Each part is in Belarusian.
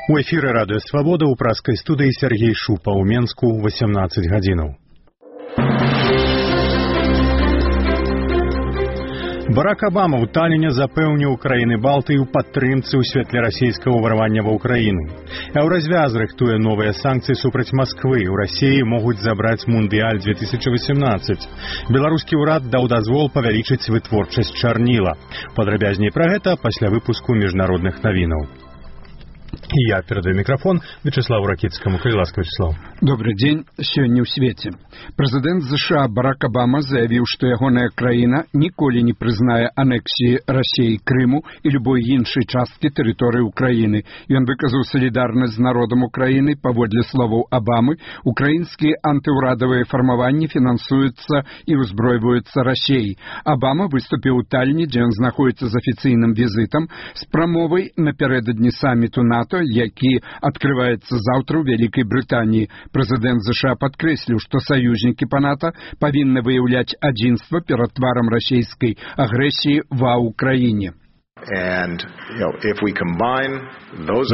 У эфіры радыё Свабода ў праскай студыі Сергей Шупа ў Менску 18 гадзінаў. Барак Абама ў Таліне запэўніў краіны Балтыі ў падтрымцы ў святле расійскага ўварвання ва ўкраіну. Еўразвяз рыхтуе новыя санкцыі супраць Масквы. У Расіі могуць забраць Мундыяль 2018. Беларускі ўрад даў дазвол павялічыць вытворчасць чарніла. Падрабязней пра гэта пасля выпуску міжнародных навінаў. Я передаю микрофон Вячеславу Ракитскому. Ласка, Вячеслав. Добрый день. Сегодня в свете. Президент США Барак Обама заявил, что ягоная краина николи не признае аннексии России Крыму и любой іншай частки территории Украины. И он выказал солидарность с народом Украины. Паводле словаў Обамы, украинские антиурадовые формования финансуются и узброиваются Россией. Обама выступил у Таллине, где он находится с официальным визитом, с промовой напередодні саммиту НАТО, які открывается завтра в Великой Британии. Президент США подкреслил, что союзники по НАТО повинны выявлять адзінства перед тваром российской агрессии ва Украине. І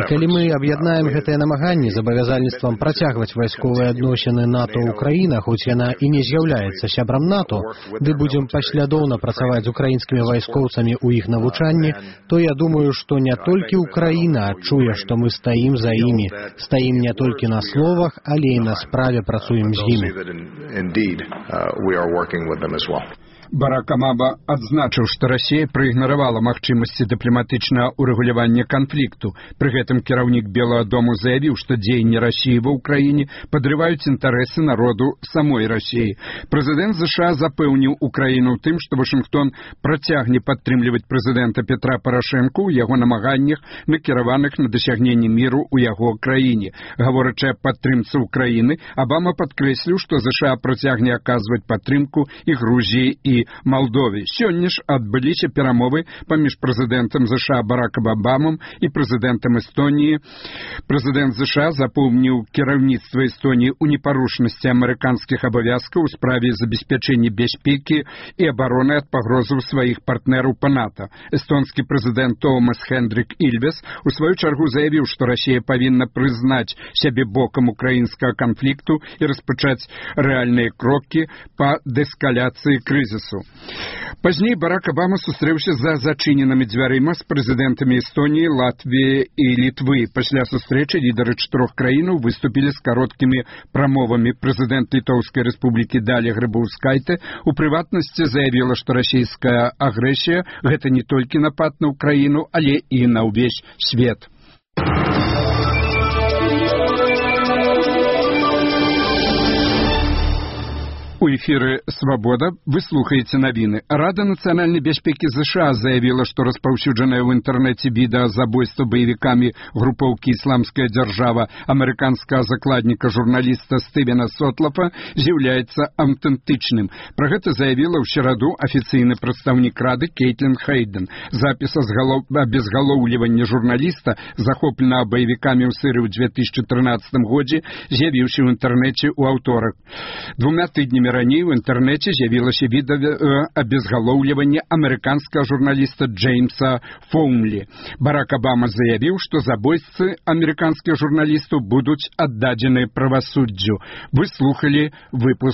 калі мы аб'яднаем гэтыя намаганні з абавязальніцтвам працягваць вайсковыя адносіны НАТО-Украіна, хоць яна і не з'яўляецца сябрам НАТО, ды будзем паслядоўна працаваць з украінскімі вайскоўцамі ў іх навучанні, то я думаю, што не толькі Украіна адчуе, што мы стаім за імі, стаім не толькі на словах, але і на справе працуем з імі. Барак Обама адзначыў, што Расія праігнаравала магчымасці дыпламатычнага ўрэгулявання канфлікту. Пры гэтым кіраўнік Белага дому заявіў, што дзеянні Расіі ва ўкраіне падрываюць інтарэсы народу самой Расіі. Прэзідэнт США запэўніў Украіну ў тым, што Вашынгтон працягне падтрымліваць прэзідэнта Петра Парашэнку ў яго намаганнях, накіраваных на дасягненне міру ў яго краіне. Гаворачы аб падтрымцы Украіны, Обама падкрэсліў, што США працягне аказваць падтрымку і Грузіі і Молдове. Сёння ж адбыліся перамовы паміж прэзідэнтам США Баракам Обамам і прэзідэнтам Эстоніі. Прэзідэнт США запомніў кіраўніцтва Эстоніі ў непарушнасці амерыканскіх абавязкаў у справе забеспячэння бяспекі і абароны ад пагрозаў сваіх партнераў па НАТО. Эстонскі прэзідэнт Томас Хендрик Ильвес у сваю чаргу заявіў, што Расія павінна прызнаць сябе бокам украінскага канфлікту і распачаць рэальныя крокі па дэскаляцыі крызісу. Пазней Барак Обама сустрэўся за зачыненымі дзвярыма з прэзідэнтамі Эстоніі, Латвіі і Літвы. Пасля сустрэчы лідары чатырох краінаў выступілі з кароткімі прамовамі. Прэзідэнт Літоўскай рэспублікі Даля Грыбаўскайце у прыватнасці заявіла, што расійская агрэсія – гэта не толькі напад на Украіну, але і на ўвесь свет. У эфіры «Свабода» вы слухаеце навіны. Рада нацыянальнай бяспекі США заявіла, што распаўсюджанае ў інтэрнэце відэа забойства баевікамі групоўкі «Ісламская дзяржава» амерыканскага закладніка журналіста Стывена Сотлафа з'яўляецца аўтэнтычным. Пра гэта заявіла ў сераду афіцыйны прадстаўнік Рады Кейтлін Хейден. Запіс абезгалоўлівання журналіста, захопленага баевікамі ў Сырыі ў 2013 годзе, з'явіўся ў інтэрнэце ў аўторак. 2 тыднямі раней у інтэрнэце з'явілася відэа абезгалоўлівання амерыканскага журналіста Джеймса Фоумлі. Барак Обама заявіў, што забойцы амерыканскіх журналістаў будуць аддадзены правасуддзю. Вы слухалі выпуск